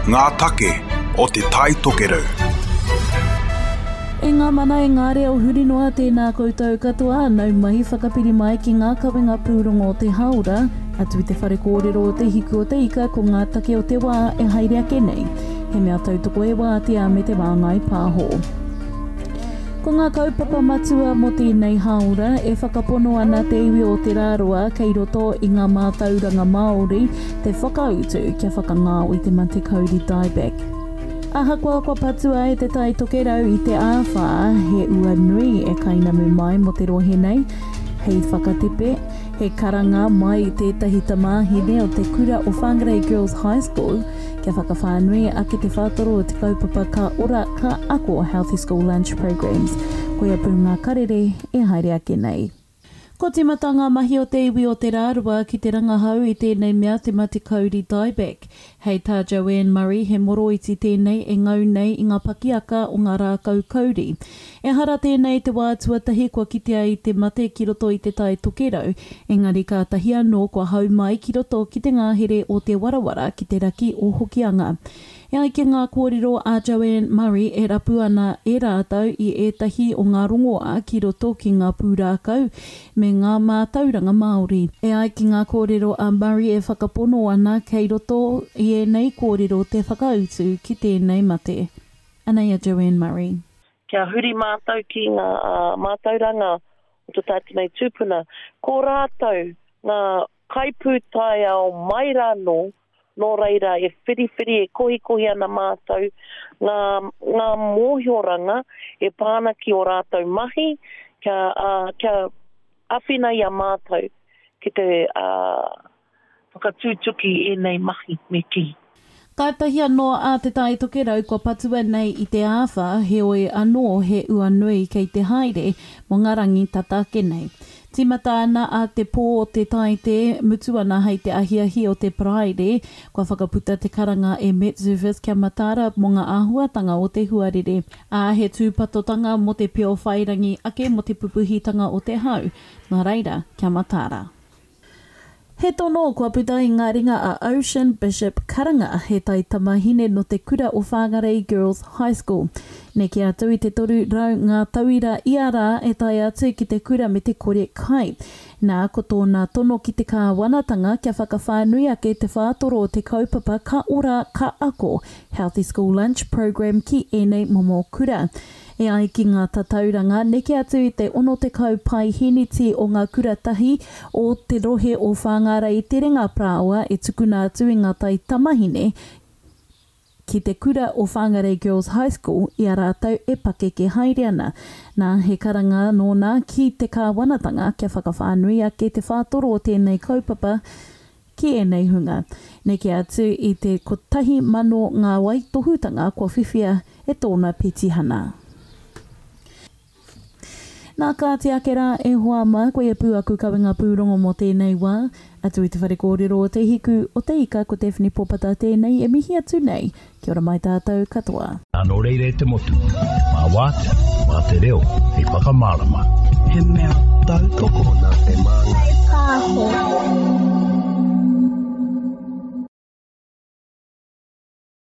Ngā take o Te Tai Tokerau. E ngā mana e ngā reo huri noa tēnā koutou katoa, nau mai whakapiri mai ki ngā kawenga pūrongo o te hāora, atu i te whare kōrero o Te Hiku o te Ika ko ngā take o te wā e haere ake nei. He mea tautoko e Wātea me Te Māngai Pāho. Ko ngā kaupapa matua mō tēnei hāora e whakapono ana te iwi o Te Rāroa kei roto i ngā mātauranga Māori te whakautu kia whakangao i te mate kauri dieback. Ahakoa kua patua e Te Tai Tokerau i te āwhā, he ua nui e kainamu mai mō te rohe nei, hei whakatepe, he karanga mai i tētahi tamāhine o te kura o Whangarei Girls High School kia whakawhānui ake te whātoro o te kaupapa Ka Ora, Ka Ako Healthy School Lunch Programmes. Koia pū ngā karere e haere ake nei. Ko tīmata ngā mahi o te iwi o Te Rārua ki te rangahau i tēnei mea te mate kauri dieback. Hei tā Joanne Murray he moroiti tēnei e ngau nei i ngā pakiaka o ngā rākau kauri. Ehara tēnei te wā tuatahi kua kitea i te mate ki roto i Te Tai Tokerau, engari kātahi anō kua hau mai ki roto ki te ngahere o Te Warawara ki te raki o Hokianga. E ai ki ngā kōrero a Joanne Murray e rapu ana e rātou i ētahi o ngā rongoā ki roto ki ngā pūrākau me ngā mātauranga Māori. E ai ki ngā kōrero a Murray e whakapono ana kei roto i ēnei kōrero te whakautu ki tēnei mate. Anei a Joanne Murray. Kia huri mātou ki ngā mātauranga o to tātou nei tūpuna, ko rātou ngā kaipūtaiao mai rānō, nō reira e whiriwhiri, e kohikohi ana mātou ngā, ngā mōhioranga e pā ana ki ō rātou mahi, kia, ā, kia āwhina i a mātou ki te, ā, whakatūtuki ēnei mahi, me kī. Kātahi anō a Te Tai Tokerau kua patua nei i te āwhā, heoi anō he ua nui kei te haere mō ngā rangi tata ake nei. Tīmata ana a te pō o te Taite, mutu ana hei te ahiahi o te Paraire, kua whakaputa te karanga e MetService kia mataara mō ngā āhuatanga o te huarere, ā, he tūpatotanga mō te peo whairangi ake mō te pupuhitanga o te hau, nā reira, kia mataara. He tono kua puta i ngā ringa a Ocean Bishop Karanga, he taitamahine nō te kura o Whangarei Girls High School. Neke atu i te 300 ngā tauira ia rā e tae atu ki te kura me te kore kai. Nā, ko tōna tono ki te kāwanatanga kia whakawhānui ake te whātoro o te kaupapa Ka Ora, Ka Ako, Healthy School Lunch Programme ki ēnei momo kura. E ai ki ngā tatauranga, neke atu i te 60 paeheneti o ngā kura tahi o te rohe o Whāngārei Terenga Parāoa e tukuna atu i ngā taitamahine ki te kura o Whāngarei Girls High School i a rātou e pakeke haere ana. Nā, he karanga nōna ki te kāwanatanga kia whakawhānui ake te whātoro o tēnei kaupapa Ki ēnei hunga, neke atu i te 1,000 ngā waitohutanga kua whiwhia e tōna petihana. Nā, kāti ake rā, e hoa mā, koia pū aku kawenga pūrongo mō tēnei wā. Atu i te whare kōrero o Te Hiku o Te Ika, ko Daphne Popata tēnei e mihi atu nei. Kia ora mai tātou katoa. Nō reira e te motu, mā Wātea, mā te reo hei whakamārama. He mea tautoko. Nā te Māngai Pāho.